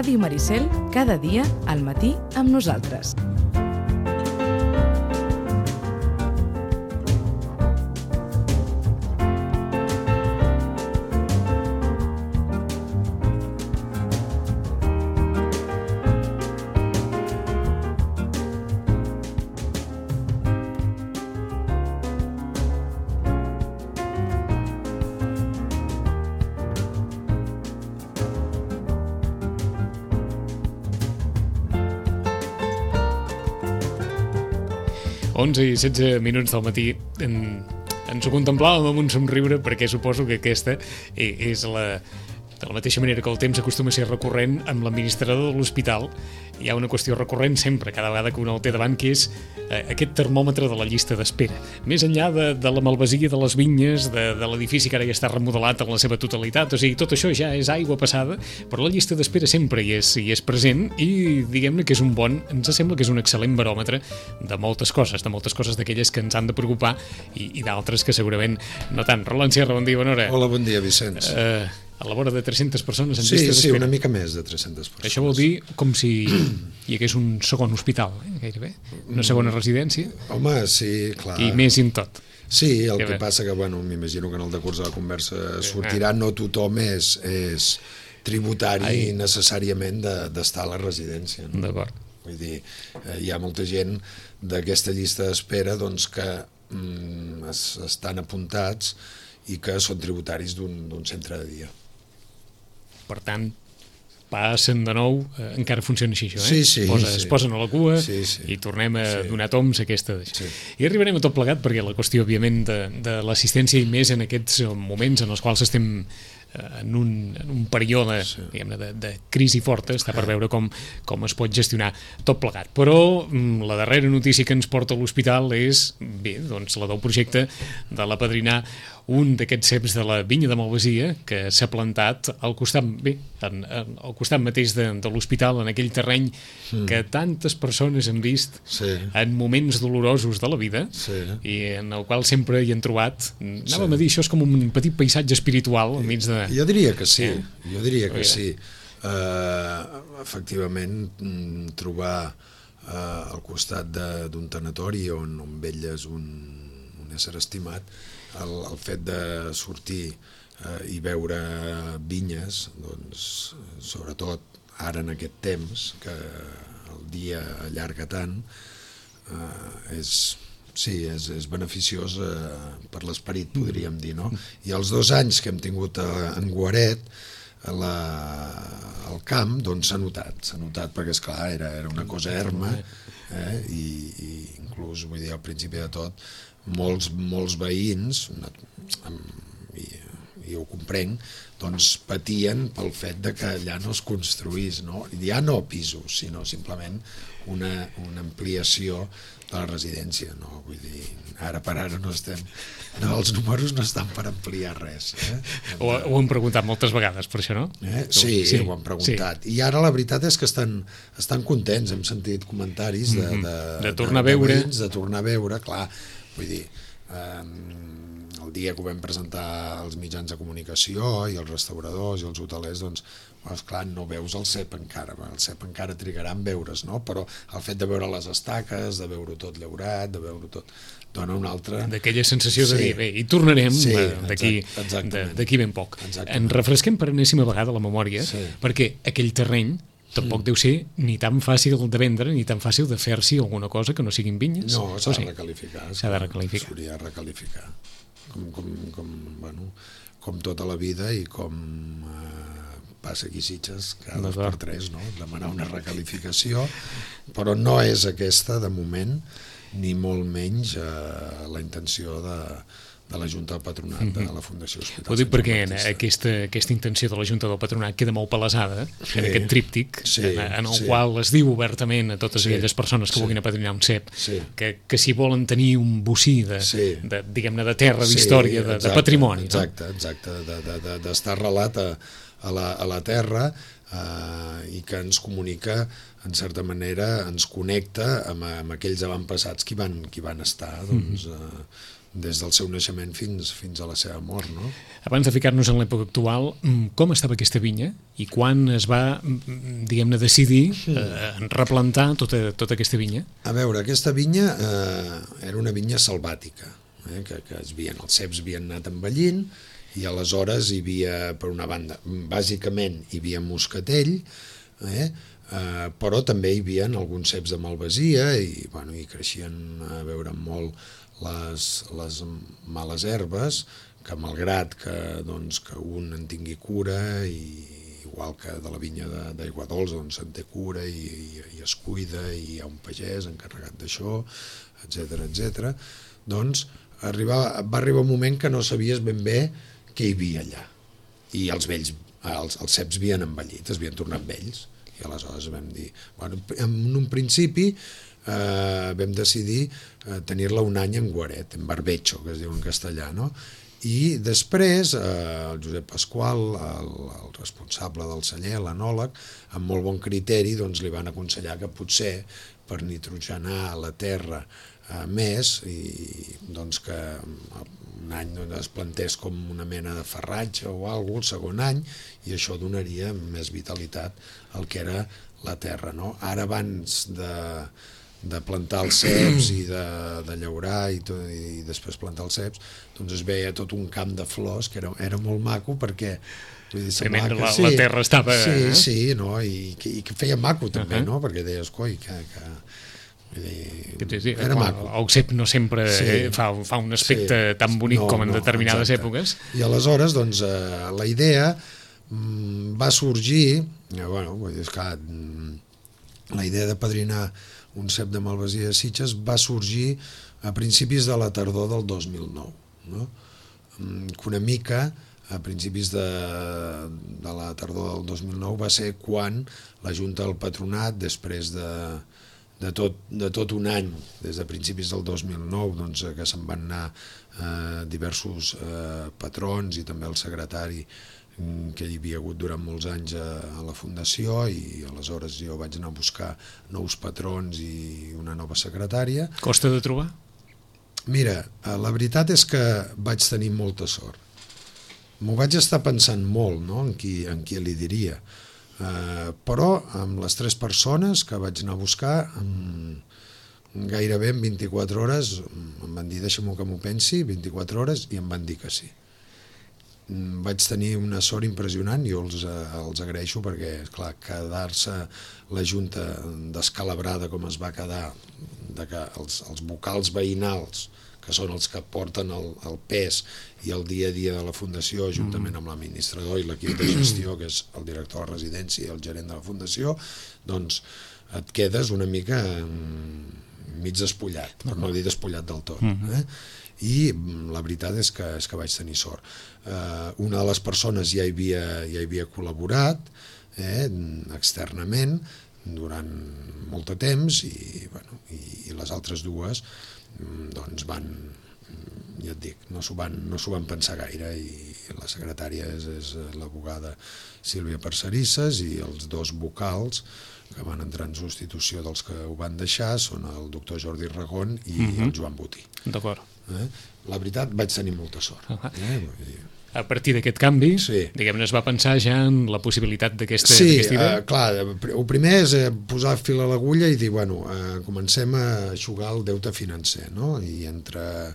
Ràdio Maricel, cada dia al matí amb nosaltres. I 16 minuts del matí ens ho contemplàvem amb un somriure, perquè suposo que aquesta és de la mateixa manera que el temps acostuma a ser recurrent amb l'administrador de l'hospital. Hi ha una qüestió recurrent sempre, cada vegada que un el té davant, que és aquest termòmetre de la llista d'espera. Més enllà de la malvasia de les vinyes, de l'edifici que ara ja està remodelat en la seva totalitat, o sigui, tot això ja és aigua passada, però la llista d'espera sempre hi és present i diguem-ne que és ens sembla que és un excel·lent baròmetre de moltes coses d'aquelles que ens han de preocupar i d'altres que segurament no tant. Roland Sierra, bon dia, bona hora. Hola, bon dia, Vicenç. A la vora de 300 persones en llista d'espera. Sí, una mica més de 300 persones. Això vol dir com si hi hagués un segon hospital, gairebé, una segona residència. Home, sí, clar. I més en tot. Sí, el que passa que, m'imagino que en el decurs de la conversa sortirà, no tothom és tributari necessàriament d'estar a la residència. No? D'acord. Vull dir, hi ha molta gent d'aquesta llista d'espera que estan apuntats i que són tributaris d'un centre de dia. Per tant, passen de nou, encara funciona així, això, eh? Sí. Es posen a la cua sí. i tornem a donar toms a aquesta. Sí. I arribarem a tot plegat, perquè la qüestió, òbviament, de l'assistència i més en aquests moments en els quals estem en un període de crisi forta, està per veure com es pot gestionar tot plegat. Però la darrera notícia que ens porta a l'hospital és la del projecte de l'apadrinar un d'aquests ceps de la vinya de Malvasia que s'ha plantat al costat mateix de l'hospital, en aquell terreny que tantes persones han vist en moments dolorosos de la vida i en el qual sempre hi han trobat, anàvem a dir, això és com un petit paisatge espiritual enmig de... Jo diria que sí, sí. Efectivament, trobar al costat d'un tanatori on velles un ésser estimat, el fet de sortir i veure vinyes, sobretot ara en aquest temps, que el dia allarga tant, és beneficiós per l'esperit, podríem dir, no? I els 2 anys que hem tingut en Guaret, al camp, s'ha notat perquè, esclar, era una cosa erma, i inclús, vull dir, al principi de tot, molts veïns, i ho comprenc, patien pel fet de que allà no es construís, no? Ja no pisos, sinó simplement una ampliació de la residència, no? Vull dir, ara per ara els números no estan per ampliar res. Ho hem preguntat moltes vegades, per això, no? Sí, ho hem preguntat. I ara la veritat és que estan contents, hem sentit comentaris de tornar a veure, clar, vull dir, el dia que ho vam presentar als mitjans de comunicació i als restauradors i als hotelers, clar, no veus el cep encara trigarà en veure's, no? Però el fet de veure les estaques, de veure tot llaurat, de veure tot, dona una altra... D'aquella sensació de dir, bé, hi tornarem d'aquí ben poc. Ens refresquem per enèsima vegada la memòria, perquè aquell terreny tampoc deu ser ni tan fàcil de vendre ni tan fàcil de fer-s'hi alguna cosa que no siguin vinyes. No, s'ha de recalificar. S'hauria de recalificar. Com tota la vida i com passa aquí a Sitges cada 2 per 3, no? Demanar una recalificació, però no és aquesta, de moment, ni molt menys la intenció de la Junta del Patronat de la Fundació Hospital. Ho dic perquè aquesta intenció de la Junta del Patronat queda molt palesada en aquest tríptic, en el qual es diu obertament a totes aquelles persones que vulguin apadrinar un cep que si volen tenir un bocí diguem-ne de terra, d'història, de patrimoni. Exacte, d'estar arrelat a la terra i que ens comunica, en certa manera, ens connecta amb aquells avantpassats que van estar des del seu naixement fins a la seva mort, no? Abans de ficar-nos en l'època actual, com estava aquesta vinya i quan es va, diguem-ne, decidir replantar tota aquesta vinya? A veure, aquesta vinya era una vinya selvàtica, que els ceps havien anat envellint i aleshores hi havia, per una banda, bàsicament hi havia moscatell, però també hi havia alguns ceps de malvasia i creixien a veure molt les males herbes, que malgrat que un en tingui cura, igual que de la vinya d'Aigua Dols, se'n té cura i es cuida i hi ha un pagès encarregat d'això, etc. Doncs va arribar un moment que no sabies ben bé què hi havia allà. I els ceps havien envellit, es havien tornat vells. I aleshores vam dir, en un principi vam decidir tenir-la un any en guaret, en barbecho, que es diu en castellà, no? I després el Josep Pasqual, el responsable del celler, l'enòleg, amb molt bon criteri li van aconsellar que potser per nitrogenar la terra més i que un any es plantés com una mena de farratge o alguna cosa el segon any, i això donaria més vitalitat al que era la terra, no? Ara, abans de plantar els ceps i de llaurar i després plantar els ceps, es veia tot un camp de flors que era molt maco, perquè la terra estava... Sí, no? I que feia maco també, no? Perquè deies, coi, era maco. El cep no sempre fa un aspecte tan bonic com en determinades èpoques. I aleshores la idea va sorgir, la idea de padrinar un cep de malvasia de Sitges va sorgir a principis de la tardor del 2009, no? Que una mica a principis de la tardor del 2009 va ser quan la Junta del Patronat, després de tot un any, des de principis del 2009, que se'n van anar diversos patrons i també el secretari que hi havia hagut durant molts anys a la Fundació, i aleshores jo vaig anar a buscar nous patrons i una nova secretària. Costa de trobar? Mira, la veritat és que vaig tenir molta sort. M'ho vaig estar pensant molt, no?, en qui li diria. Però amb les 3 persones que vaig anar a buscar, gairebé en 24 hores em van dir, deixa'm que m'ho pensi, 24 hores, i em van dir que sí. Vaig tenir una sort impressionant, jo els agraeixo, perquè, esclar, quedar-se la Junta descalabrada com es va quedar, que els vocals veïnals, que són els que porten el pes i el dia a dia de la Fundació, juntament amb l'administrador i l'equip de gestió, que és el director de residència i el gerent de la Fundació, doncs et quedes una mica mig despullat, per no dir despullat del tot. I la veritat és que vaig tenir sort. Una de les persones ja hi havia col·laborat externament durant molt de temps, i les altres dues ja et dic, no s'ho van pensar gaire, i la secretària és l'advocada Sílvia Parcerisses, i els 2 vocals que van entrar en substitució dels que ho van deixar són el doctor Jordi Ragón i el Joan Botí. D'acord. La veritat, vaig tenir molta sort. A partir d'aquest canvi, diguem-ne, es va pensar ja en la possibilitat d'aquesta idea? Sí, clar, el primer és posar fil a l'agulla i dir, comencem a eixugar el deute financer, no? I entre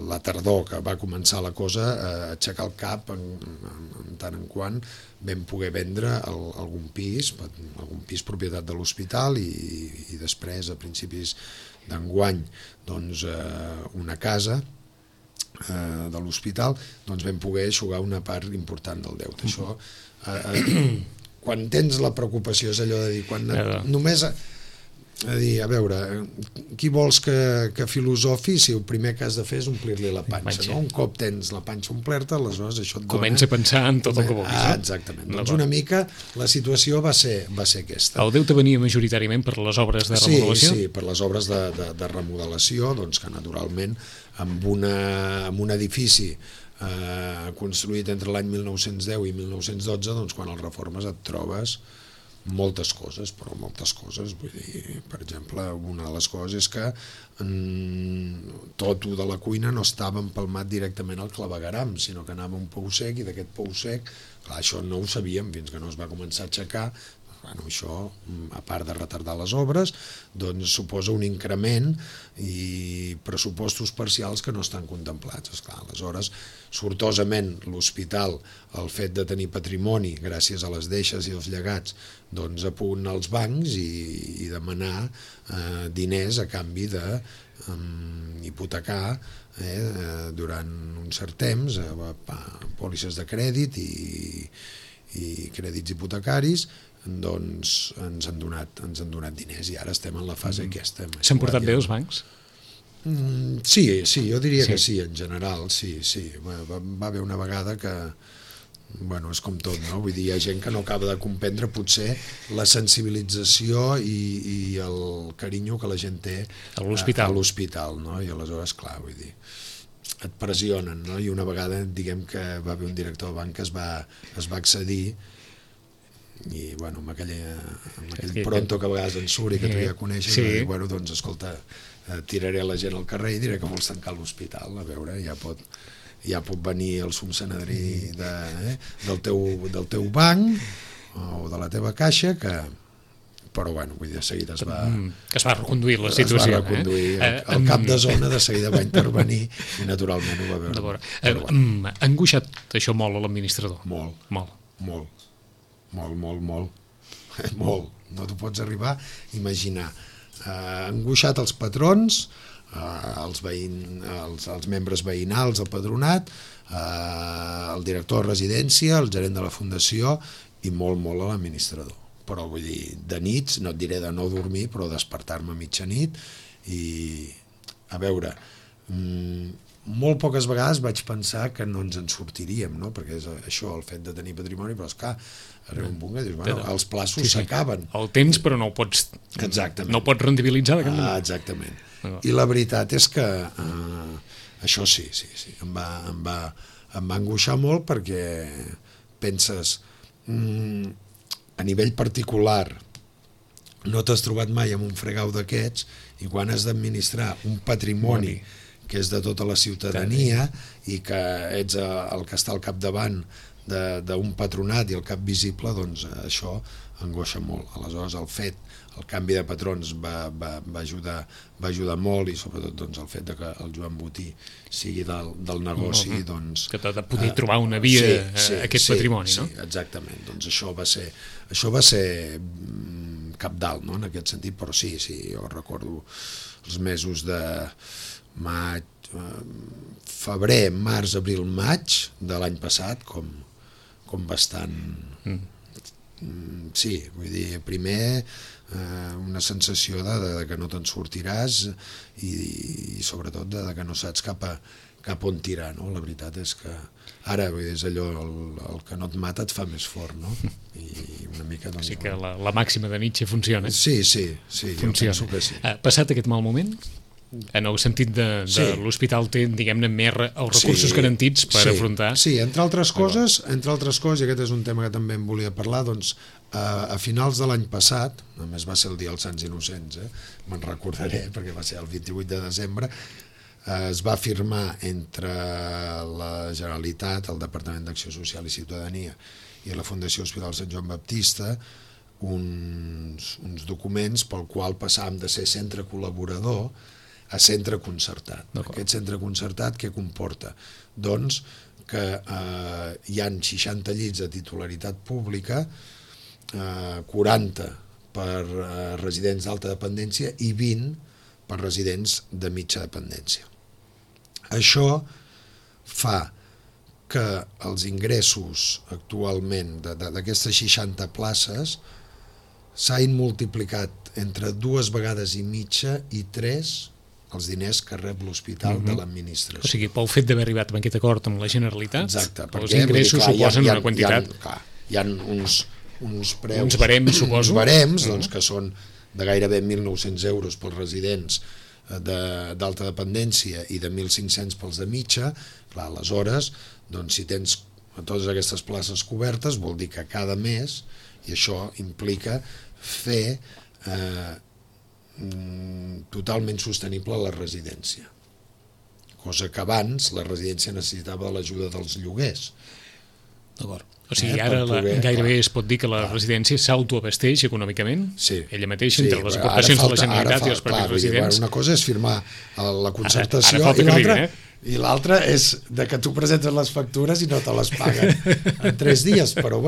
la tardor que va començar la cosa a aixecar el cap en tant en quant vam poder vendre algun pis propietat de l'hospital, i després, a principis d'enguany, una casa de l'hospital, vam poder eixugar una part important del deute. Això, quan tens la preocupació, és allò de dir, només a dir, a veure, qui vols que filosofi si el primer que has de fer és omplir-li la panxa, no? Un cop tens la panxa omplerta, aleshores això et dona... Comença a pensar en tot el que vulguis. Exactament. Doncs una mica la situació va ser aquesta. El deute venia majoritàriament per les obres de remodelació? Sí, per les obres de remodelació, que naturalment amb un edifici construït entre l'any 1910 i 1912, quan el reformes et trobes moltes coses, però moltes coses, vull dir, per exemple, una de les coses és que tot de la cuina no estava empalmat directament al clavegueram, sinó que anava un pou sec, i d'aquest pou sec, clar, això no ho sabíem fins que no es va començar a aixecar. Bueno, això, a part de retardar les obres, doncs suposa un increment i pressupostos parcials que no estan contemplats. Esclar, aleshores, sortosament, l'hospital, el fet de tenir patrimoni, gràcies a les deixes i els llegats, doncs apunta als bancs i demanar diners a canvi de hipotecar durant un cert temps, pòlisses de crèdit i crèdits hipotecaris, doncs ens han donat diners i ara estem en la fase aquesta. S'han portat bé els bancs? Sí, jo diria que sí, en general, sí. Va haver una vegada que, bueno, és com tot, no? Vull dir, hi ha gent que no acaba de comprendre potser la sensibilització i el carinyo que la gent té a l'hospital, no? I aleshores, clar, vull dir, et pressionen, no? I una vegada, diguem que va haver un director del banc que es va accedir i, bueno, amb aquell pronto que a vegades en surt i que tu ja coneixes, va dir, bueno, doncs, escolta, tiraré la gent al carrer i diré que vols tancar l'hospital, a veure, ja pot venir el subsenadrí del teu banc o de la teva caixa, però, bueno, vull dir, de seguida es va reconduir la situació. El cap de zona de seguida va intervenir i, naturalment, ho va veure. Ha angoixat això molt a l'administrador? Molt. No t'ho pots arribar a imaginar. Angoixat els patrons, els membres veïnals, el patronat, el director de residència, el gerent de la fundació i molt a l'administrador. Però, vull dir, de nits, no et diré de no dormir, però despertar-me a mitjanit i, a veure, molt poques vegades vaig pensar que no ens en sortiríem, no? Perquè és això, el fet de tenir patrimoni, però esclar, arriba un punt que dius, bueno, els plaços s'acaben. El tens, però no ho pots rendibilitzar de cap manera. Exactament. I la veritat és que això sí, em va angoixar molt, perquè penses, a nivell particular no t'has trobat mai amb un fregau d'aquests, i quan has d'administrar un patrimoni que és de tota la ciutadania i que ets el que està al capdavant d'un patronat i el cap visible, doncs això angoixa molt. Aleshores, el canvi de patrons va ajudar molt, i sobretot doncs, el fet que el Joan Botí sigui del negoci, doncs, que t'ha de poder trobar una via a aquest patrimoni, no? Sí, exactament. Doncs això va ser cabdal, no?, en aquest sentit, però sí, jo recordo els mesos de maig, febrer, març, abril, maig de l'any passat com bastant... Sí, vull dir, primer una sensació de que no te'n sortiràs i sobretot de que no saps cap on tirar, no? La veritat és que ara és allò, el que no et mata et fa més fort, no? I una mica... O sigui que la màxima de Nietzsche funciona. Sí, jo penso que sí. Passat aquest mal moment, en el sentit de l'hospital té, diguem-ne, més els recursos garantits per afrontar... Sí, entre altres coses, i aquest és un tema que també em volia parlar, doncs a finals de l'any passat, només va ser el dia dels Sants Innocents, me'n recordaré perquè va ser el 28 de desembre, es va firmar entre la Generalitat, el Departament d'Acció Social i Ciutadania i la Fundació Hospital Sant Joan Baptista uns documents pel qual passàvem de ser centre col·laborador a centre concertat. Aquest centre concertat què comporta? Doncs que hi han 60 llits de titularitat pública, 40 per residents d'alta dependència i 20 per residents de mitja dependència. Això fa que els ingressos actualment d'aquestes 60 places s'hagin multiplicat entre 2 vegades i mitja i 3 els diners que rep l'hospital de l'administració. O sigui, pel fet d'haver arribat a aquest acord amb la Generalitat, els ingressos suposen una quantitat... Hi ha uns preus... Uns barems, suposo. Uns barems, doncs, que són de gairebé 1.900 euros pels residents d'alta dependència i de 1.500 pels de mitja. Clar, aleshores, doncs, si tens totes aquestes places cobertes, vol dir que cada mes i això implica fer totalment sostenible la residència, cosa que abans la residència necessitava de l'ajuda dels lloguers. D'acord. O sigui, ara gairebé es pot dir que la residència s'autoabasteix econòmicament, ella mateixa, entre les aportacions de la Generalitat i els propis residents. Una cosa és firmar la concertació i l'altra és de que tu presentes les factures i no te les paguen en 3 dies, però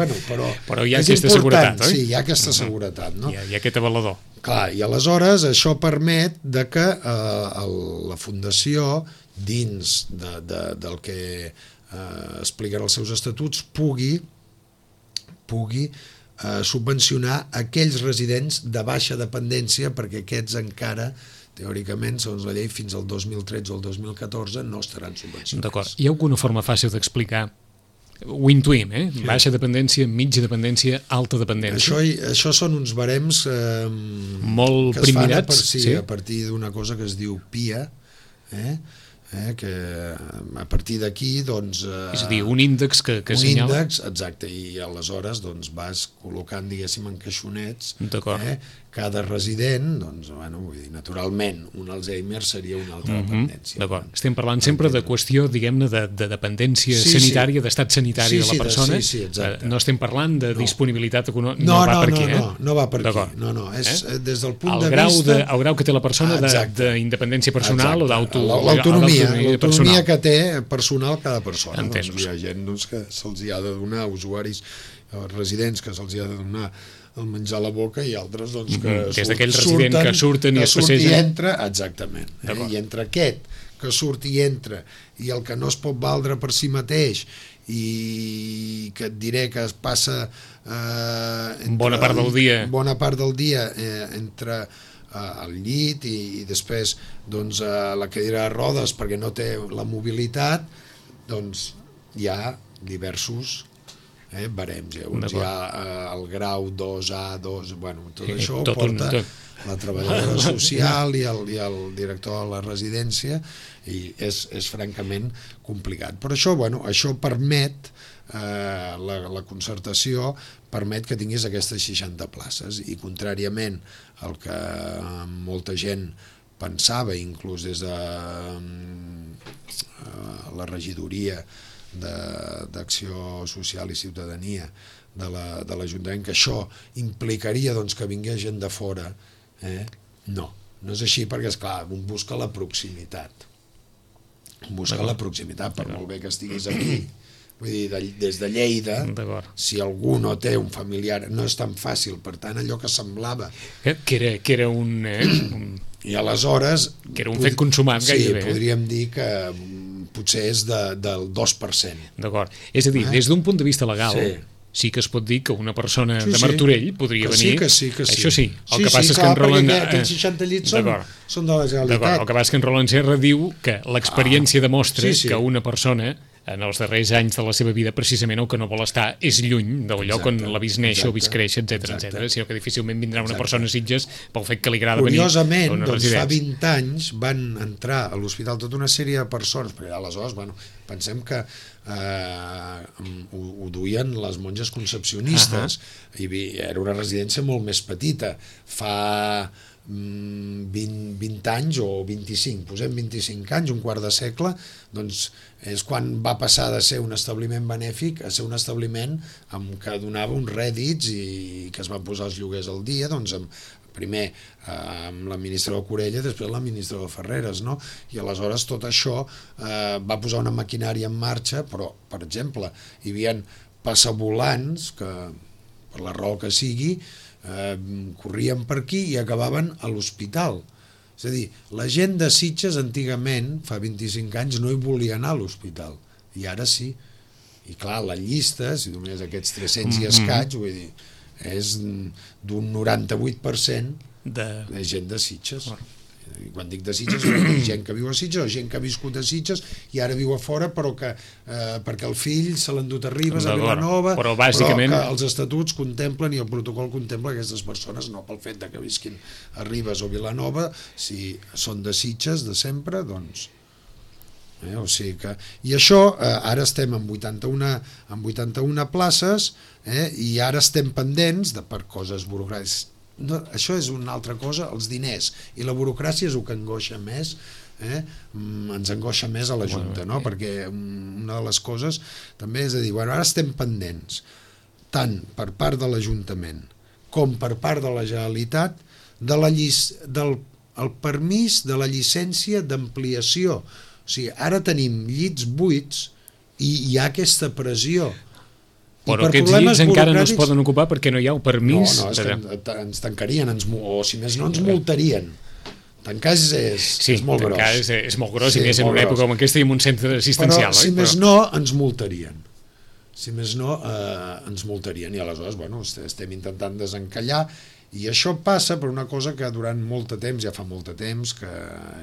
hi ha aquesta seguretat, oi? Sí, hi ha aquesta seguretat, no? Hi ha aquest avalador. Clar, i aleshores això permet de que la Fundació, dins del que expliquen els seus estatuts, pugui subvencionar aquells residents de baixa dependència, perquè aquests encara, teòricament, segons la llei, fins al 2013 o el 2014 no estaran subvencionats. D'acord. Hi ha alguna forma fàcil d'explicar? Ho intuïm, Baixa dependència, mitja dependència, alta dependència. Això són uns barems molt primmirats, a partir d'una cosa que es diu PIA, que a partir d'aquí doncs, és a dir, un índex que assenyala... Un índex, exacte, i aleshores doncs, vas col·locant, diguéssim, en caixonets cada resident, doncs, bueno, vull dir, naturalment, un Alzheimer seria una altra dependència. D'acord. Estem parlant sempre de qüestió, diguem-ne, de dependència sanitària, d'estat sanitari de la persona. Sí, exacte. No estem parlant de disponibilitat econòmica. No va per aquí. No va per aquí. No, és des del punt de vista... El grau que té la persona d'independència personal o l'autonomia que té personal cada persona. Entesos. Hi ha gent que se'ls ha de donar, usuaris residents que se'ls ha de donar el menjar a la boca i altres que des d'aquells residents que surten i es passegen. Exactament. I entre aquest que surt i entra i el que no es pot valdre per si mateix i que et diré que es passa bona part del dia entre al llit i després doncs, la cadira de rodes perquè no té la mobilitat, doncs hi ha diversos barems. Hi ha el grau 2A, 2, bueno, tot això ho porta la treballadora social i el director de la residència i és francament complicat. Però això permet, la concertació permet que tinguis aquestes 60 places i contràriament al que molta gent pensava, inclús des de la regidoria d'Acció Social i Ciutadania de l'Ajuntament, que això implicaria que vingués gent de fora, no és així, perquè esclar, un busca la proximitat, per molt bé que estiguis aquí. Vull dir, des de Lleida, si algú no té un familiar, no és tan fàcil, per tant, allò que semblava... Que era un... I aleshores... Que era un fet consumat gairebé. Sí, podríem dir que potser és del 2%. D'acord. És a dir, des d'un punt de vista legal, sí que es pot dir que una persona de Martorell podria venir... Sí que sí. Això sí. El que passa és que en Roland... Aquells 60 llits són de la Generalitat. El que passa és que en Roland Serra diu que l'experiència demostra que una persona en els darrers anys de la seva vida precisament el que no vol estar és lluny del lloc on l'ha vist néixer o vist créixer, etc, sinó que difícilment vindrà una persona a Sitges pel fet que li agrada venir a una residència. Fa 20 anys van entrar a l'hospital tota una sèrie de persones, perquè aleshores, pensem que ho duien les monges concepcionistes i era una residència molt més petita. Fa 20 anys o 25, posem 25 anys, un quart de segle, doncs és quan va passar de ser un establiment benèfic a ser un establiment que donava uns rèdits i que es van posar els lloguers al dia, doncs primer amb l'administrador Corella, després l'administrador Ferreres, no? I aleshores tot això va posar una maquinària en marxa, però, per exemple, hi havia passavolants que, per la raó que sigui, corrien per aquí i acabaven a l'hospital. És a dir, la gent de Sitges antigament, fa 25 anys, no hi volia anar a l'hospital, i ara sí. I clar, la llista, si només aquests 300 i escaig, vull dir, és d'un 98% de gent de Sitges. I quan dic de Sitges, gent que viu a Sitges o gent que ha viscut a Sitges i ara viu a fora, però que perquè el fill se l'ha endut a Ribes, a Vilanova, però que els estatuts contemplen i el protocol contempla aquestes persones, no pel fet que visquin a Ribes o Vilanova, si són de Sitges de sempre, doncs O sigui que, i això, ara estem amb 81 places, i ara estem pendents per coses burocràtiques. No, això és una altra cosa, els diners i la burocràcia és el que angoixa més, ens angoixa més a la Junta, no? Perquè una de les coses també és a dir, bueno, ara estem pendents tant per part de l'Ajuntament com per part de la Generalitat del permís de la llicència d'ampliació. O sigui, ara tenim llits buits i hi ha aquesta pressió. Però aquests llits encara no es poden ocupar perquè no hi ha el permís. No, és que ens tancarien, o si més no ens multarien. Tancar és molt gros. Tancar és molt gros, i més en una època com aquesta i en un centre assistencial. Però si més no, ens multarien. Si més no, ens multarien. I aleshores, bueno, estem intentant desencallar. I això passa per una cosa que durant molt de temps, ja fa molt de temps,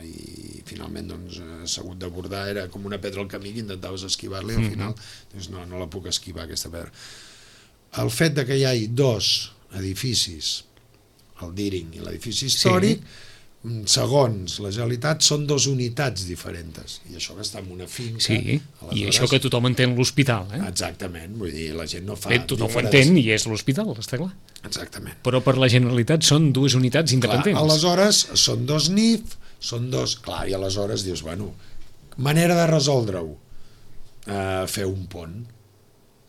i finalment s'ha hagut d'abordar, era com una pedra al camí que intentaves esquivar-li, al final dius, no la puc esquivar, aquesta pedra. El fet que hi hagi dos edificis, el Deering i l'edifici històric, segons la Generalitat, són dues unitats diferents. I això que està en una finca... Sí, i això que tothom entén l'hospital. Exactament, vull dir, la gent no fa... Tothom ho entén i és l'hospital, està clar. Exactament. Però per la Generalitat són dues unitats independents. Clar, aleshores són dos NIF, són dos... Clar, i aleshores dius, bueno, manera de resoldre-ho, fer un pont.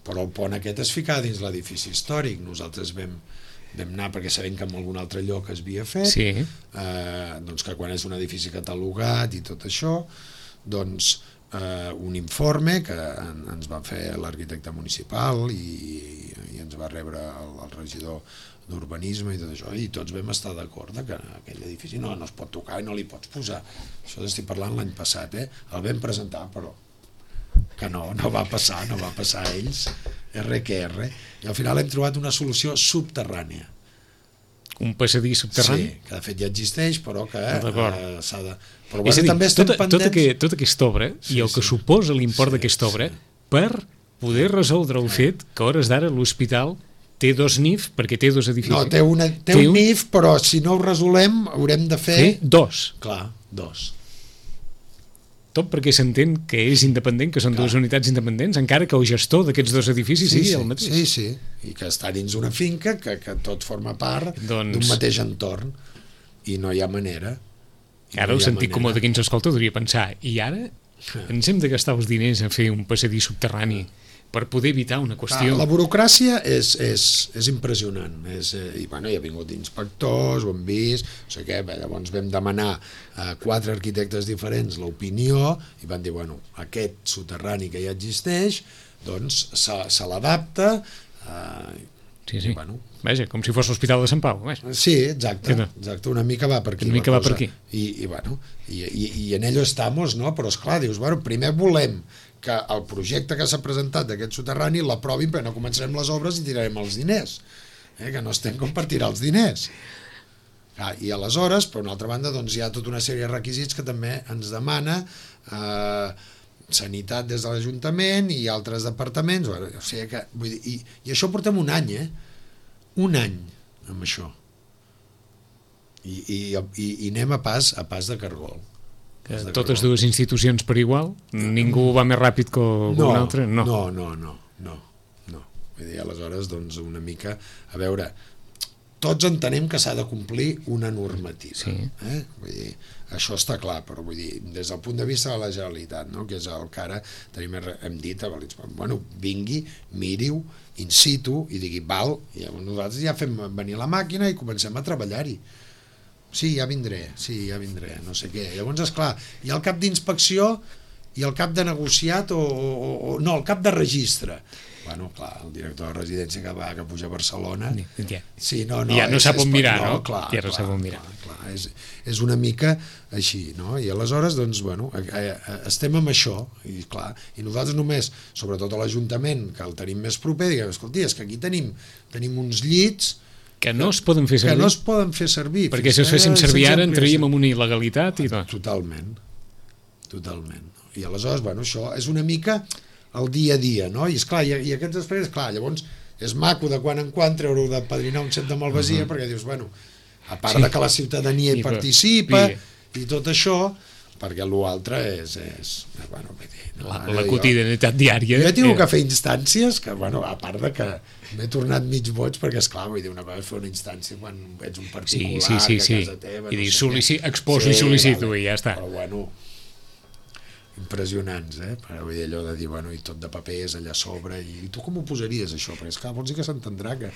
Però el pont aquest es ficava dins l'edifici històric. Nosaltres vam anar perquè sabem que en algun altre lloc es havia fet, doncs que quan és un edifici catalogat i tot això, doncs un informe que ens va fer l'arquitecte municipal i ens va rebre el regidor d'urbanisme i tot això, i tots vam estar d'acord que aquell edifici no es pot tocar i no li pots posar. Això estic parlant l'any passat, el vam presentar, però que no va passar a ells, R que R, i al final hem trobat una solució subterrània. Un passadís subterrani? Sí, que de fet ja existeix, però que s'ha de... Però és a dir, també estem pendents... Tota aquesta obra, i el que suposa l'import d'aquesta obra, per poder resoldre el fet que a hores d'ara l'hospital té dos NIF, perquè té dos edificis. No, té un NIF, però si no ho resolem haurem de fer dos. Clar, dos. Tot perquè s'entén que és independent, que són dues unitats independents, encara que el gestor d'aquests dos edificis sigui el mateix. Sí, i que està dins una finca, que tot forma part d'un mateix entorn, i no hi ha manera. Ara el sentit comú de qui ens escolta hauria pensar, i ara ens hem de gastar els diners a fer un passadís subterrani per poder evitar una qüestió... La burocràcia és impressionant, i bueno, hi ha vingut inspectors, ho hem vist, no sé què, llavors vam demanar a 4 arquitectes diferents l'opinió i van dir, bueno, aquest soterrani que ja existeix, doncs se l'adapta... Sí. Vaja, com si fos l'Hospital de Sant Pau. Sí, exacte, una mica va per aquí. Una mica va per aquí. I en ello estamos, no? Però esclar, dius, bueno, primer volem que el projecte que s'ha presentat d'aquest soterrani l'aprovin, però no començarem les obres i tirarem els diners, que no estem com per tirar els diners. I aleshores, per una altra banda, doncs hi ha tota una sèrie de requisits que també ens demana Sanitat des de l'Ajuntament i altres departaments, o sigui que, vull dir, i això portem un any, un any amb això, i anem a pas de cargol. Totes dues institucions per igual? Ningú va més ràpid que un altre? No. Vull dir, aleshores, doncs, una mica, a veure, tots entenem que s'ha de complir una normativa. Vull dir, això està clar, però vull dir, des del punt de vista de la Generalitat, no? Que és el que ara hem dit, bueno, vingui, miri-ho, in situ, i digui, val, i nosaltres ja fem venir la màquina i comencem a treballar-hi. Sí, ja vindré, no sé què. Llavors, esclar, hi ha el cap d'inspecció i el cap de negociat no, el cap de registre. Bueno, clar, el director de residència que puja a Barcelona... Ja no sap on mirar, no? Ja no sap on mirar. És una mica així, no? I aleshores, doncs, bueno, estem amb això, i clar, i nosaltres només, sobretot a l'Ajuntament, que el tenim més proper, diguem, escolti, és que aquí tenim uns llits que no es poden fer servir. Que no es poden fer servir. Perquè si es fessin servir ara entraríem en una il·legalitat i tot. Totalment. I aleshores, bueno, això és una mica el dia a dia, no? I esclar, i aquests després, clar, llavors és maco de quan en quan treure-ho de padrinar un cep de Malvasia, perquè dius, bueno, a part de que la ciutadania hi participa i tot això, perquè l'altre és bueno, vull dir, no, la quotidianitat diària. Jo he tingut que fer instàncies que, bueno, a part de que m'he tornat mig boig, perquè esclar, vull dir, una cosa és fer una instància quan ets un particular sí. que a casa teva, I dir, sí, exposo i sol·licito, vale, i ja està. però bueno, impressionants, però vull dir, allò de dir, bueno, i tot de papers allà a sobre, i tu com ho posaries això? Perquè esclar, vols dir que s'entendrà que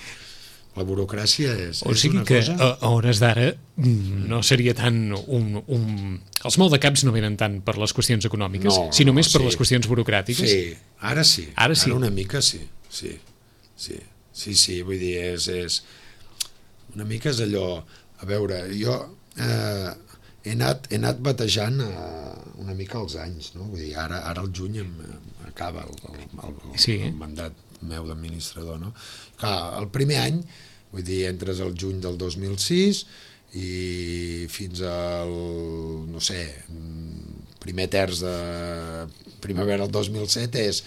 la burocràcia és sigui una que cosa... a hores d'ara no seria tant els maldecaps no venen tant per les qüestions econòmiques, sinó més per les qüestions burocràtiques. Sí, ara sí. Ara una mica sí. Sí, vull dir, és una mica és allò, a veure, jo he anat batejant una mica els anys, no? Vull dir, ara al juny acaba el mandat meu d'administrador, no? Clar, el primer any, vull dir, entres al juny del 2006 i fins al, no sé, primer terç de primavera del 2007 és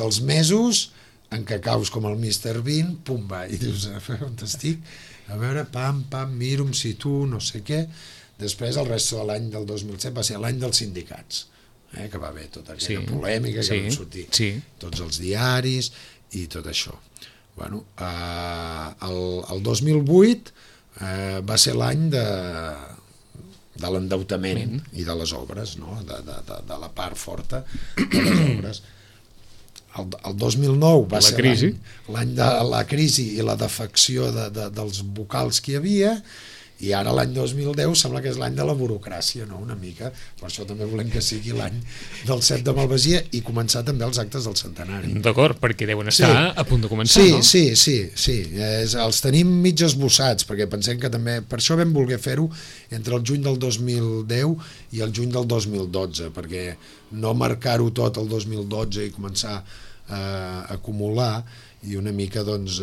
els mesos en què caus com el Mr. Bean, pum, va, i dius, on estic? A veure, pam, miro, em situo, no sé què. Després, el rest de l'any del 2007 va ser l'any dels sindicats, que va haver tota aquella polèmica, que van sortir tots els diaris i tot això. Bueno, el 2008 va ser l'any de l'endeutament i de les obres, no? De la part forta de les obres. El 2009 va ser l'any de la crisi i la defecció dels vocals que hi havia, i ara l'any 2010 sembla que és l'any de la burocràcia, no? Una mica, per això també volem que sigui l'any del CEP de Malvasia i començar també els actes del centenari. D'acord, perquè deuen estar a punt de començar, no? Sí. Els tenim mig esbossats, perquè pensem que també, per això vam voler fer-ho entre el juny del 2010 i el juny del 2012, perquè no marcar-ho tot el 2012 i començar a acumular, i una mica, doncs,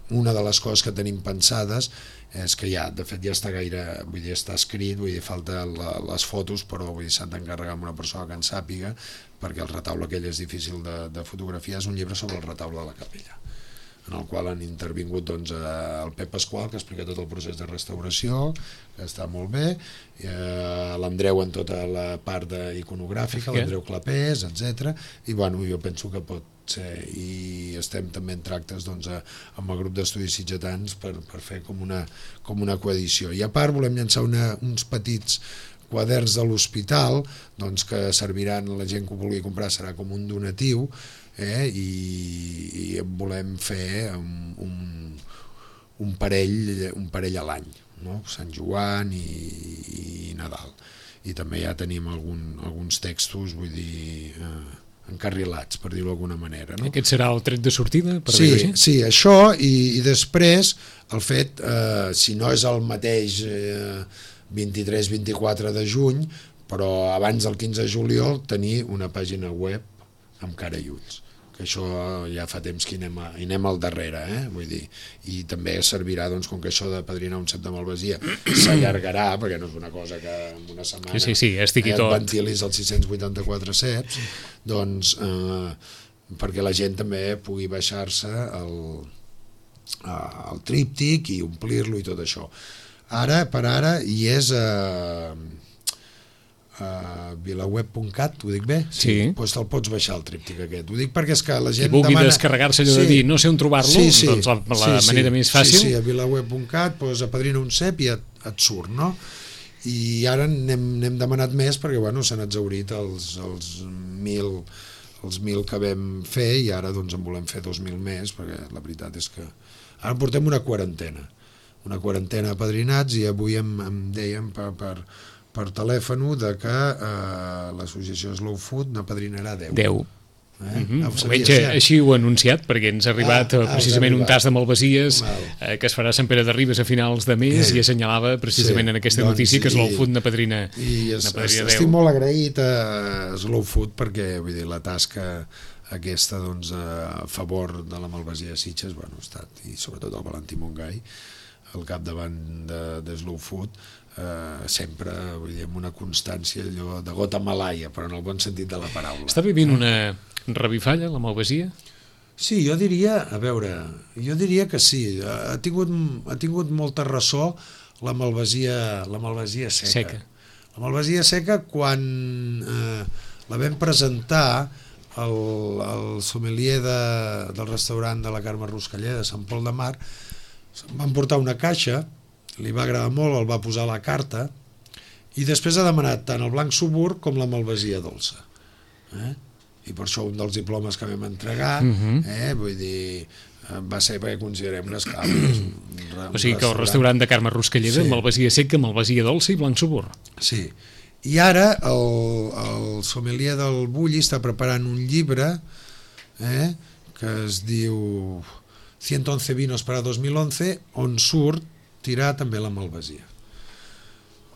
una de les coses que tenim pensades és que de fet ja està gaire, vull dir, està escrit, vull dir, falta les fotos, però vull dir, s'han d'encarregar amb una persona que en sàpiga, perquè el retaule aquell és difícil de fotografiar. És un llibre sobre el retaule de la capella, en el qual han intervingut, doncs, el Pep Pasqual, que explica tot el procés de restauració, que està molt bé, l'Andreu en tota la part iconogràfica, l'Andreu Clapés, etc. I bueno, jo penso que pot ser, i estem també en tractes, doncs, amb el grup d'estudis sitgetans per fer com una coedició. I a part volem llançar uns petits quaderns de l'hospital, doncs, que serviran a la gent que ho vulgui comprar, serà com un donatiu, i volem fer un parell a l'any, no? Sant Joan i Nadal, i també ja tenim alguns textos, vull dir, encarrilats, per dir-ho d'alguna manera, no? Aquest serà el tret de sortida, per dir-ho així? Sí, això, i després el fet, si no és el mateix 23-24 de juny, però abans del 15 de juliol tenir una pàgina web amb cara i ulls, que això ja fa temps que hi anem al darrere, vull dir, i també servirà, doncs, com que això de padrinar un CEP de Malvasia s'allargarà, perquè no és una cosa que en una setmana et ventilis els 684 CEPs, doncs, perquè la gent també pugui baixar-se el tríptic i omplir-lo i tot això. Ara, per ara, hi és vilaweb.cat, ho dic bé? Sí. Doncs te'l pots baixar el tríptic aquest. Ho dic perquè és que la gent demana... Qui vulgui descarregar-se allò de dir no sé on trobar-lo, doncs la manera més fàcil... Sí, a vilaweb.cat, doncs apadrina un CEP i et surt, no? I ara n'hem demanat més perquè, bueno, s'han exhaurit els 1.000 que vam fer, i ara, doncs, en volem fer 2.000 més, perquè la veritat és que ara portem una quarantena apadrinats, i avui em deien per telèfon de que l'associació Slow Food n'apadrinarà 10. Així ho ha anunciat, perquè ens ha arribat precisament un tas de Malvasies que es farà a Sant Pere de Ribes a finals de mes, i assenyalava precisament en aquesta notícia que Slow Food n'apadrina 10. Estic molt agraït a Slow Food perquè, vull dir, la tasca aquesta, doncs, a favor de la Malvasia de Sitges, bueno, ha estat, i sobretot el Valentí Montgai al capdavant de Slow Food, sempre, vull dir, amb una constància allò de gota malaia, però en el bon sentit de la paraula. Està vivint una revifalla, la Malvasia? Sí, jo diria que sí. Ha tingut molta ressò la Malvasia seca. La malvasia seca, quan la vam presentar, el sommelier del restaurant de la Carme Ruscalleda de Sant Pol de Mar van portar una caixa, li va agradar molt, el va posar a la carta i després ha demanat tant el blanc subur com la malvasia dolça. I per això un dels diplomes que vam entregar, vull dir, va ser perquè considerem les cames. O sigui que el restaurant de Carme Ruscalleda, malvasia seca, malvasia dolça i blanc subur. Sí. I ara el sommelier del Bulli està preparant un llibre que es diu 111 vinos para 2011, on surt tirar també la malvasia.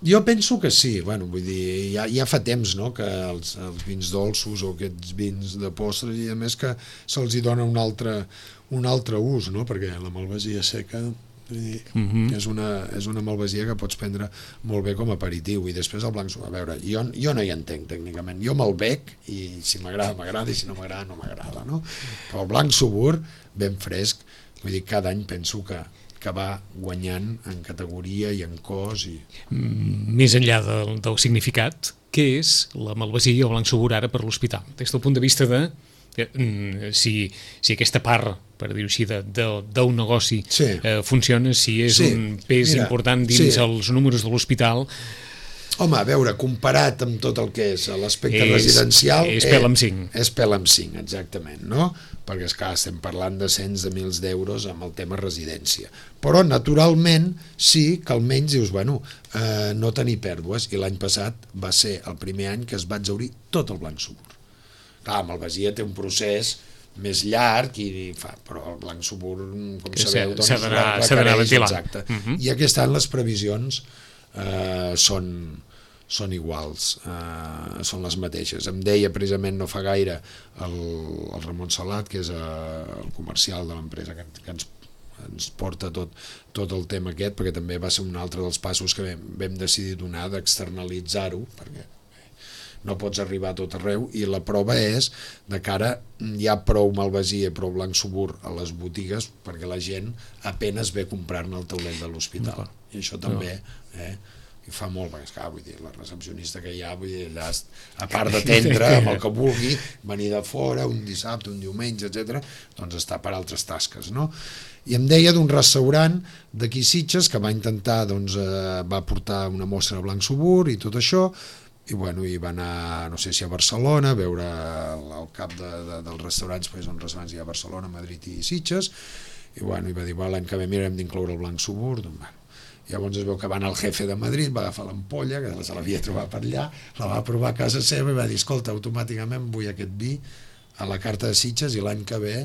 Jo penso que sí, bueno, vull dir, ja fa temps, no?, que els vins dolços o aquests vins de postres, i a més que se'ls hi dona un altre ús, no?, perquè la malvasia seca és una malvasia que pots prendre molt bé com a aperitiu, i després el blanc, a veure, jo no hi entenc tècnicament, jo me'l bec i si m'agrada, m'agrada, i si no m'agrada, no m'agrada, no? Però el blanc subur, ben fresc, vull dir, cada any penso que va guanyant en categoria i en cos. Més enllà del significat, què és la malvasia i el blanc subur ara per l'hospital? Des del punt de vista de si aquesta part, per dir-ho així, d'un negoci funciona, si és un pes important dins els números de l'hospital. Home, a veure, comparat amb tot el que és l'aspecte residencial... És pèl amb 5. És pèl amb 5, exactament, no? Perquè, esclar, estem parlant de cents de mils d'euros amb el tema residència. Però, naturalment, sí que almenys dius, bueno, no tenir pèrdues, i l'any passat va ser el primer any que es va exhaurir tot el blanc subur. Clar, malvasia té un procés més llarg, però el blanc subur, com sabeu, s'ha d'anar ventilant. Exacte. I aquest any les previsions són iguals, són les mateixes. Em deia precisament no fa gaire el Ramon Salat, que és el comercial de l'empresa que ens porta tot el tema aquest, perquè també va ser un altre dels passos que vam decidir donar, d'externalitzar-ho, perquè no pots arribar a tot arreu, i la prova és de que ara hi ha prou malvasia i prou blanc subur a les botigues perquè la gent apenes ve a comprar-ne al taulet de l'hospital. I això també i fa molt, perquè esclar, vull dir, la recepcionista que hi ha, vull dir, allà, a part d'atendre amb el que vulgui, venir de fora un dissabte, un diumenge, etc., doncs està per altres tasques, no? I em deia d'un restaurant d'aquí Sitges que va intentar, doncs, va portar una mostra de blanc subur i tot això, i bueno, i va anar, no sé si a Barcelona, a veure el cap dels restaurants, perquè són restaurants hi ha a Barcelona, Madrid i Sitges, i bueno, i va dir, l'any que ve mirarem d'incloure el blanc subur, doncs bueno. Llavors es veu que va anar al jefe de Madrid, va agafar l'ampolla, que se l'havia trobat per allà, la va provar a casa seva i va dir, escolta, automàticament vull aquest vi a la carta de Sitges i l'any que ve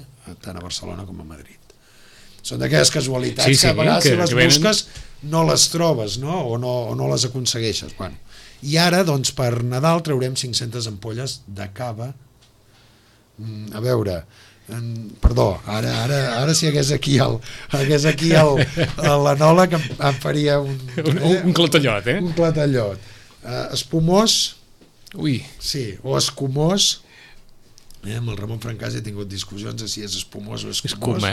tant a Barcelona com a Madrid. Són d'aquelles casualitats que a vegades si les busques no les trobes, no? O no les aconsegueixes. Bueno. I ara, doncs, per Nadal traurem 500 ampolles de cava. A veure, perdó, ara si hagués aquí l'enòleg em faria un clatellot, un clatellot. Espumós, sí, o escumós. Amb el Ramon Francàs he tingut discussions de si és espumós o escumós.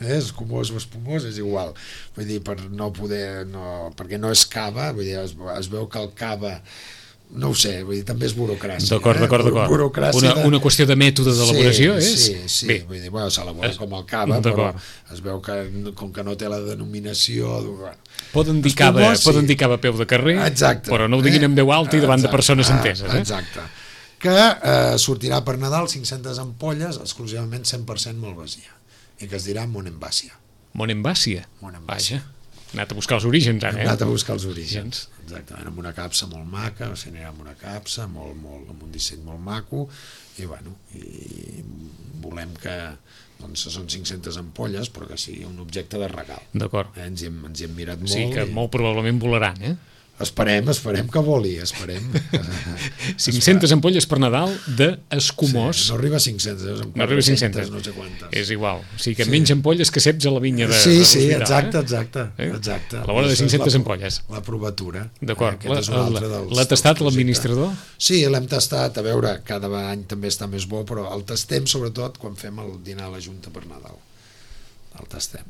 Escumós o espumós és igual. Vull dir, per no poder, perquè no és cava, vull dir, es veu que el cava, no ho sé, vull dir, també és burocràcia. D'acord. Una qüestió de mètode d'elaboració és? Sí, vull dir, s'elabora com el cava, però es veu que com que no té la denominació... Poden dir cava a peu de carrer, però no ho diguin en veu alta i davant de persones enteses. Exacte. Que sortirà per Nadal 500 ampolles, exclusivament 100% malvasia, i que es dirà Monemvasia. Monemvasia? Vaja, he anat a buscar els orígens ara, He anat a buscar els orígens, exactament, amb una capsa molt maca, anirà amb una capsa, amb un disseny molt maco, i bueno, i volem que són 500 ampolles, però que sigui un objecte de regal. D'acord. Ens hi hem mirat molt. Sí, que molt probablement volaran, Esperem que voli, esperem. 500 ampolles per Nadal d'escumós. No arriba a 500, no arriba a 500, no sé quantes. És igual, o sigui que menys ampolles que ceps a la vinya de l'hospital. exacte. A l'hora de 500 ampolles. La provatura. D'acord, l'ha tastat l'administrador? Sí, l'hem tastat, a veure, cada any també està més bo, però el tastem sobretot quan fem el dinar a la Junta per Nadal. El tastem.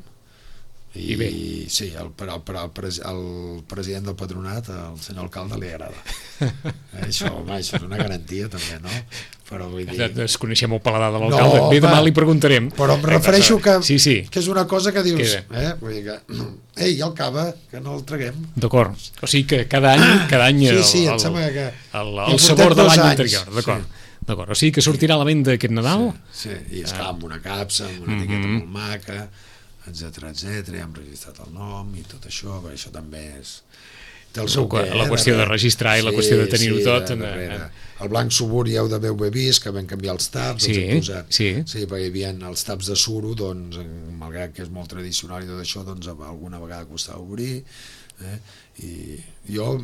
I bé. Sí, el president del patronat, el senyor alcalde, li agrada. Això és una garantia també, no? Però vull dir... Desconeixem el paladar de l'alcalde, bé, demà li preguntarem. Però em refereixo que és una cosa que dius, vull dir que, ei, el cava, que no el traguem. D'acord, o sigui que cada any sí, em sembla que... el sabor de l'any anterior, d'acord. O sigui que sortirà a la venda aquest Nadal? Sí, i esclar amb una capsa, amb una etiqueta molt maca, etcètera, ja hem registrat el nom i tot això, perquè això també és... La qüestió de registrar i la qüestió de tenir-ho tot... El blanc suburi heu d'haver vist, que vam canviar els taps, sí, perquè hi havia els taps de suro, doncs, malgrat que és molt tradicional i tot això, doncs alguna vegada costava obrir, i jo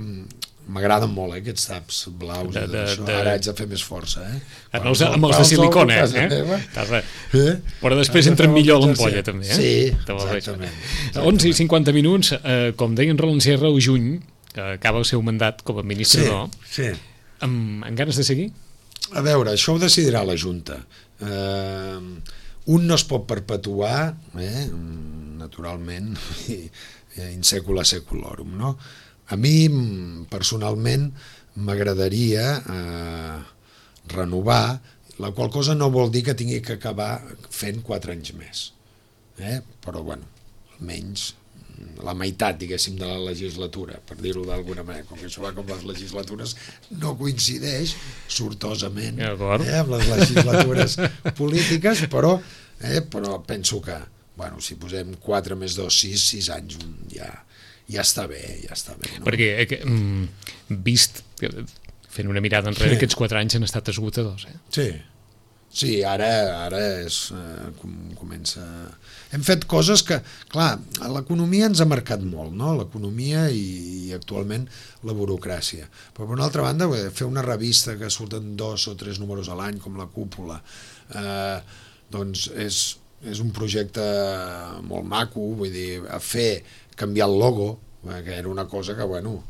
m'agraden molt aquests taps blaus i tot això, ara haig de fer més força amb els de silicona però després entren millor a l'ampolla també sí, exactament 11:50, com deia en Roland Serra, el juny que acaba el seu mandat com a administrador amb ganes de seguir? A veure, això ho decidirà la Junta. Un no es pot perpetuar naturalment in secula seculorum, no? A mi, personalment, m'agradaria renovar, la qual cosa no vol dir que tingui que acabar fent 4 anys més. Però, bueno, almenys la meitat, diguéssim, de la legislatura, per dir-ho d'alguna manera, com que això va com les legislatures, no coincideix sortosament amb les legislatures polítiques, però penso que, bueno, si posem 4 més 2, 6 anys, ja està bé, no? Perquè, vist, fent una mirada enrere, aquests 4 anys han estat esgotadors, Sí, ara comença... Hem fet coses que, clar, l'economia ens ha marcat molt, no? L'economia i actualment la burocràcia. Però per una altra banda, fer una revista que surten 2 o 3 números a l'any, com la Cúpula, doncs és un projecte molt maco, vull dir, canviar el logo, que era una cosa que, bueno,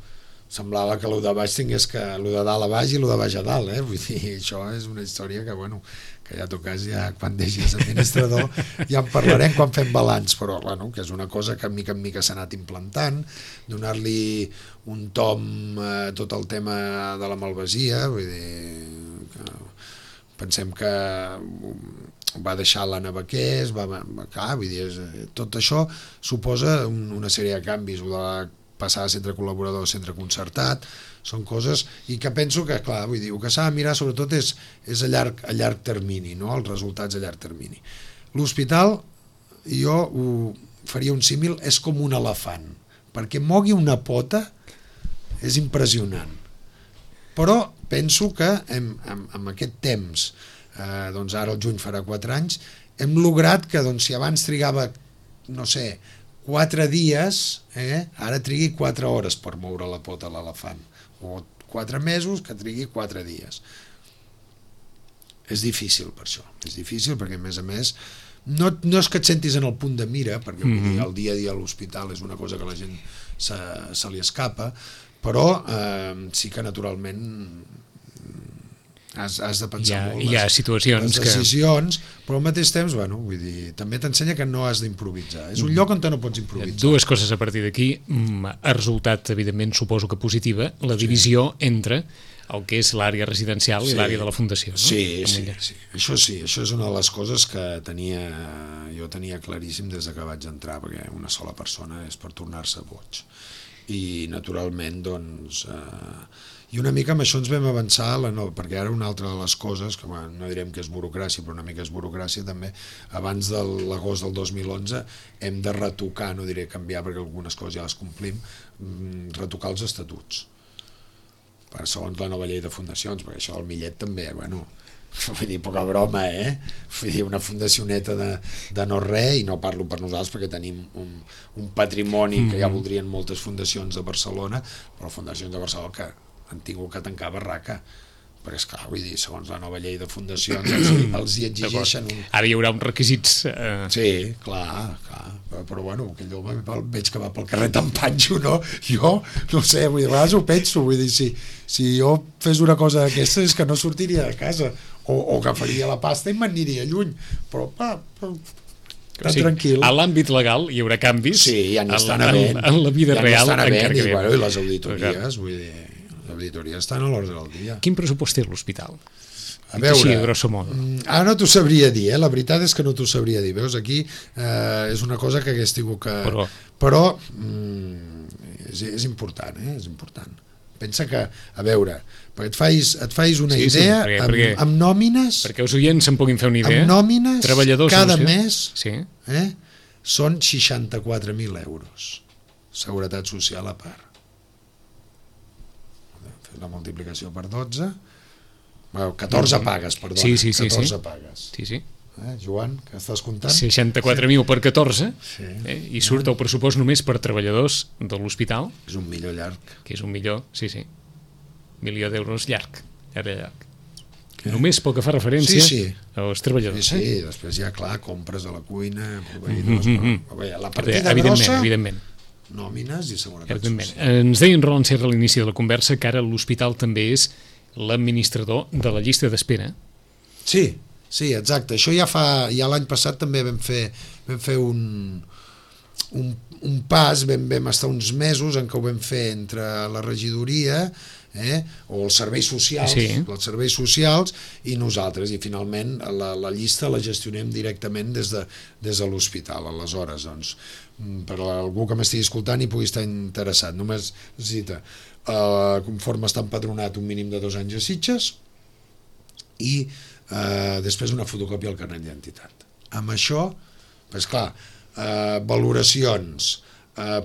semblava que el de baix tingués que el de dalt a baix i el de baix a dalt, vull dir, això és una història que, bueno, que ja tocàs, quan deixis administrador ja en parlarem quan fem balanç, però, bueno, que és una cosa que mica en mica s'ha anat implantant, donar-li un tom a tot el tema de la malvasia, vull dir, que pensem que va deixar la Navaqués, vull dir, tot això suposa una sèrie de canvis, o de passar de centre col·laborador a centre concertat, són coses, i que penso que, clar, vull dir, el que s'ha de mirar sobretot és a llarg termini, no? Els resultats a llarg termini. L'hospital, jo ho faria un símil, és com un elefant, perquè mogui una pota és impressionant. Però penso que amb aquest temps, doncs ara el juny farà 4 anys, hem lograt que, doncs, si abans trigava, no sé, 4 dies, ara trigui 4 hores per moure la pota a l'elefant, o 4 mesos que trigui 4 dies. És difícil per això, és difícil perquè, a més, no és que et sentis en el punt de mira, perquè el dia a dia a l'hospital és una cosa que a la gent se li escapa, però sí que naturalment has de pensar molt hi ha situacions les decisions, però al mateix temps, bueno, vull dir, també t'ensenya que no has d'improvisar. És un lloc on no pots improvisar. Dues coses a partir d'aquí. Ha resultat, evidentment, suposo que positiva, la divisió entre el que és l'àrea residencial i l'àrea de la Fundació. No? Sí, això és una de les coses que jo tenia claríssim des que vaig entrar, perquè una sola persona és per tornar-se boig. I, naturalment, doncs... I una mica amb això ens vam avançar, perquè ara una altra de les coses, que no direm que és burocràcia, però una mica és burocràcia també, abans de l'agost del 2011 hem de retocar, no diré canviar perquè algunes coses ja les complim, retocar els estatuts, segons la nova llei de fundacions, perquè això del Millet també, bueno, vull dir, poca broma, vull dir, una fundacioneta de no res, i no parlo per nosaltres perquè tenim un patrimoni que ja voldrien moltes fundacions de Barcelona, però fundacions de Barcelona que han tingut que tancar barraca, perquè esclar, vull dir, segons la nova llei de fundacions els hi exigeixen Ara hi haurà uns requisits... Sí, clar, però bueno, aquell home veig que va pel carrer tan panxo, no? Jo, no sé, vull dir, a vegades ho penso, vull dir, si jo fes una cosa d'aquesta és que no sortiria de casa, o agafaria la pasta i m'aniria lluny, però tan tranquil. A l'àmbit legal hi haurà canvis. Sí, ja n'hi estan havent. En la vida real encara que i les auditories, vull dir, les auditories estan a l'ordre del dia. Quin pressupost té l'hospital? A veure, així, grosso modo. Ara no t'ho sabria dir, la veritat és que no t'ho sabria dir. Veus, aquí és una cosa que hagués tingut que... Però és important, és important. Pensa que, a veure, perquè et fais una idea amb nòmines... Perquè els oients se'n puguin fer una idea. Amb nòmines, cada mes són 64.000 euros. Seguretat social a part. Fer la multiplicació per 12... 14 pagues, perdona. 14 pagues. Sí. Joan, que estàs comptant? 64.000 per 14 i surt el pressupost només per treballadors de l'hospital. És $1 milió llarg. Que és $1 milió, sí. Milió d'euros llarg. Només pel que fa referència als treballadors. Sí, després ja, clar, compres a la cuina, proveïdors... La partida grossa... Evidentment. Nòmines i seguretat social. Ens deia en Roland Serra a l'inici de la conversa que ara l'hospital també és l'administrador de la llista d'espera. Sí, exacte. Això ja l'any passat també vam fer un pas, vam estar uns mesos en què ho vam fer entre la regidoria o els serveis socials, i nosaltres, i finalment la llista la gestionem directament des de l'hospital. Aleshores, doncs, per algú que m'estigui escoltant i pugui estar interessat, només necessita conforme està empadronat un mínim de 2 anys a Sitges i després una fotocòpia al carnet d'identitat. Amb això, doncs clar, valoracions,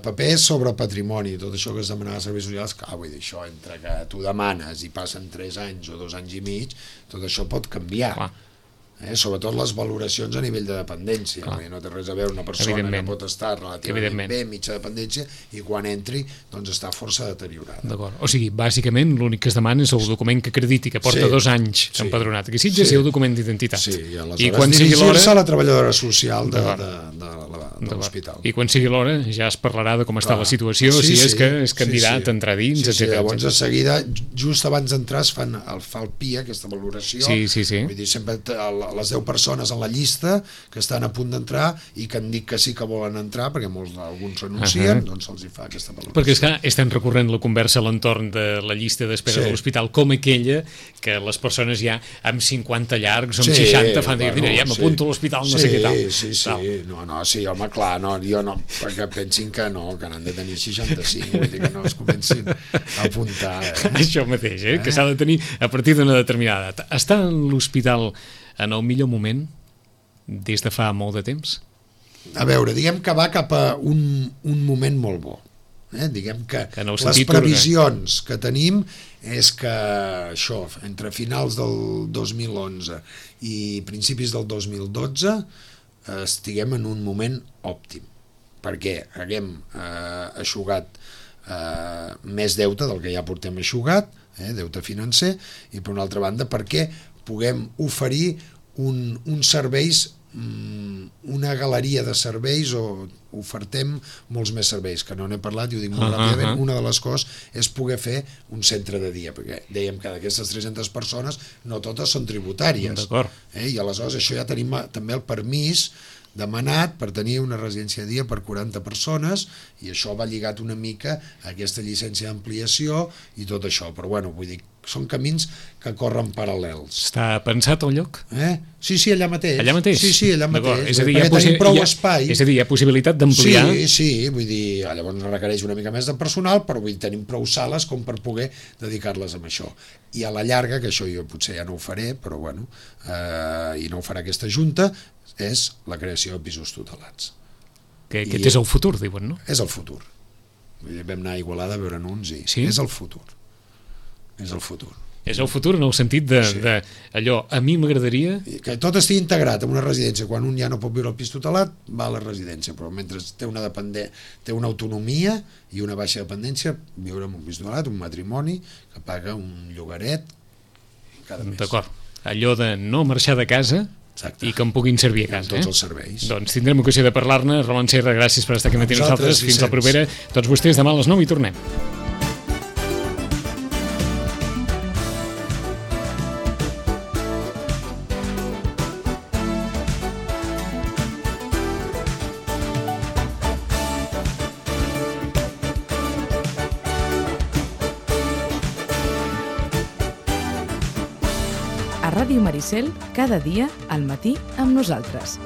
papers sobre patrimoni, tot això que es demanava a serveis socials, vull dir, això entre que tu demanes i passen 3 anys o 2 anys i mig, tot això pot canviar. Sobretot les valoracions a nivell de dependència, no té res a veure una persona que pot estar relativament bé, mitja dependència, i quan entri doncs està força deteriorada. D'acord, o sigui, bàsicament l'únic que es demana és el document que acrediti que porta 2 anys empadronat aquí Sitges i el document d'identitat. I aleshores dirigir-se a la treballadora social de l'hospital. I quan sigui l'hora ja es parlarà de com està la situació, si és que és candidat a entrar dins, etc. Llavors de seguida, just abans d'entrar es fa el PIA, aquesta valoració, vull dir, sempre les 10 persones en la llista que estan a punt d'entrar i que han dit que sí que volen entrar, perquè alguns renuncien, doncs se'ls fa aquesta valoració. Perquè és que estem recorrent la conversa a l'entorn de la llista d'espera de l'hospital com aquella que les persones ja amb 50 llargs o amb 60 fan dir, mira, ja m'apunto a l'hospital, no sé què tal. Sí, home, clar, jo no, perquè pensin que n'han de tenir 65, vull dir que no es comencin a apuntar. Això mateix, que s'ha de tenir a partir d'una determinada edat. Està en l'hospital en el millor moment des de fa molt de temps? A veure, diguem que va cap a un moment molt bo. Diguem que les previsions que tenim és que això, entre finals del 2011 i principis del 2012 estiguem en un moment òptim, perquè haguem eixugat més deute del que ja portem eixugat, deute financer, i per una altra banda perquè puguem oferir uns serveis, una galeria de serveis, o ofertem molts més serveis, que no n'he parlat i ho dic molt ràpidament. Una de les coses és poder fer un centre de dia, perquè dèiem que d'aquestes 300 persones no totes són tributàries, i aleshores això ja tenim també el permís demanat per tenir una residència de dia per 40 persones, i això va lligat una mica a aquesta llicència d'ampliació i tot això, però bueno, vull dir, són camins que corren paral·lels. Està pensat el lloc? Sí, allà mateix. Allà mateix? Sí, allà mateix. És a dir, hi ha possibilitat d'ampliar? Sí, vull dir, llavors requereix una mica més de personal, però vull dir, tenim prou sales com per poder dedicar-les a això. I a la llarga, que això jo potser ja no ho faré, però bueno, i no ho farà aquesta junta, és la creació de pisos tutelats. Que aquest és el futur, diuen, no? És el futur. Vam anar a Igualada a veure'n uns i és el futur. És el futur. És el futur en el sentit d'allò, a mi m'agradaria... Que tot estigui integrat en una residència. Quan un ja no pot viure al pis tutelat, va a la residència, però mentre té una autonomia i una baixa dependència, viure en un pis tutelat, un matrimoni que paga un llogaret cada mes. D'acord. Allò de no marxar de casa i que em puguin servir a casa. Tots els serveis. Doncs tindrem ocasió de parlar-ne. Roland Serra, gràcies per estar aquí amb nosaltres. Fins la propera. Tots vostès demà a les 9 i tornem. A Ràdio Maricel, cada dia al matí amb nosaltres.